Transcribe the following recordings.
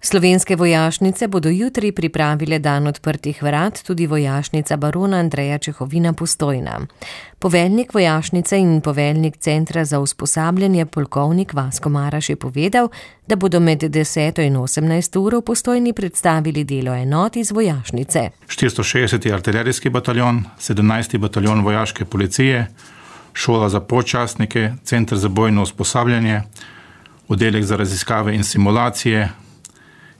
Slovenske vojašnice bodo jutri pripravile dan odprtih vrat, tudi vojašnica barona Andreja Čehovina Postojna. Poveljnik vojašnice in poveljnik Centra za usposabljanje polkovnik Vasko Maraš je povedal, da bodo med 10. in 18. uro v Postojni predstavili delo enot iz vojašnice. 460. artilerijski bataljon, 17. bataljon vojaške policije, šola za podčastnike, Center za bojno usposabljanje, oddelek za raziskave in simulacije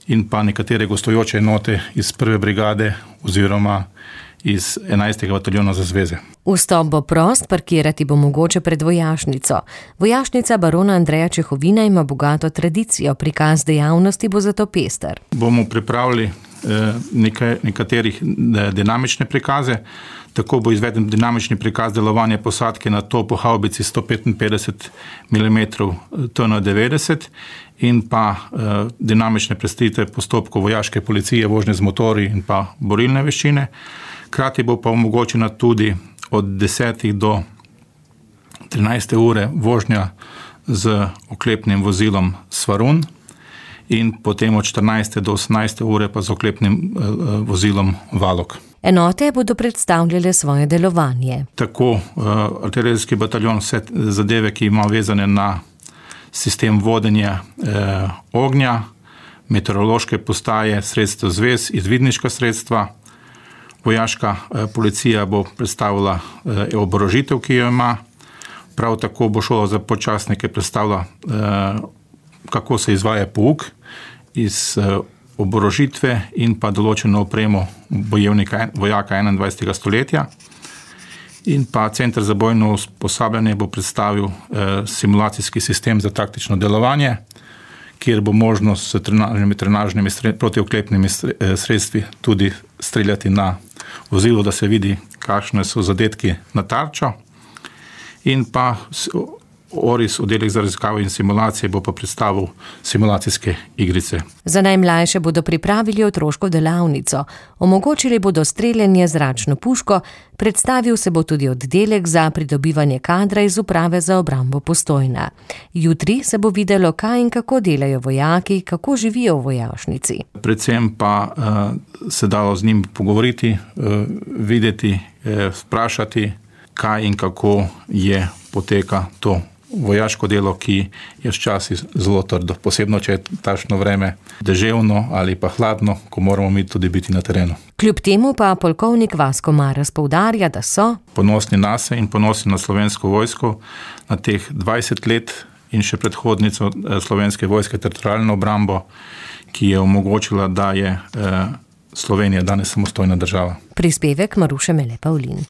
in pa nekatere gostujoče enote iz 1. brigade oziroma iz 11. bataljona za zveze. Vstop bo prost, parkirati bo mogoče pred vojašnico. Vojašnica barona Andreja Čehovina ima bogato tradicijo, prikaz dejavnosti bo zato pester. Bomo pripravili nekaterih dinamične prikaze. Tako bo izveden dinamični prikaz delovanja posadke na topo havbici 155 mm TN90 in pa dinamične predstavitve postopkov vojaške policije, vožnje z motorji in pa borilne veščine. Hkrati bo pa omogočena tudi od 10. do 13. ure vožnja z oklepnim vozilom Svarun in potem od 14. do 18. ure pa z oklepnim vozilom Valok. Enote bodo predstavljale svoje delovanje. Tako artilerijski bataljon vse zadeve, ki ima vezane na sistem vodenja ognja, meteorološke postaje, sredstva zvez, izvidniška sredstva. Vojaška policija bo predstavila oborožitev, ki jo ima. Prav tako bo šola za podčastnike predstavila, kako se izvaja pouk iz oborožitve in pa določeno opremo vojaka 21. stoletja. In pa Center za bojno usposabljanje bo predstavil simulacijski sistem za taktično delovanje, kjer bo možnost s trenažnimi protioklepnimi sredstvi tudi streljati na vozilo, da se vidi, kakšne so zadetki na tarčo. In pa ORIS, oddelek za raziskave in simulacije, bo pa predstavil simulacijske igrice. Za najmlajše bodo pripravili otroško delavnico. Omogočili bodo streljanje z zračno puško, predstavil se bo tudi oddelek za pridobivanje kadra iz uprave za obrambo Postojna. Jutri se bo videlo, kaj in kako delajo vojaki, kako živijo v vojašnici. Predvsem pa se dalo z njim pogovoriti, videti, vprašati, kaj in kako je poteka to vojaško delo, ki je včasih zelo trdo, posebno če je takšno vreme deževno ali pa hladno, ko moramo mi tudi biti na terenu. Kljub temu pa polkovnik Vasko Maraš poudarja, da so ponosni nase in ponosni na Slovensko vojsko, na teh 20 let in še predhodnico Slovenske vojske teritorialno obrambo, ki je omogočila, da je Slovenija danes samostojna država. Prispevek Maruše Mele Pavlin.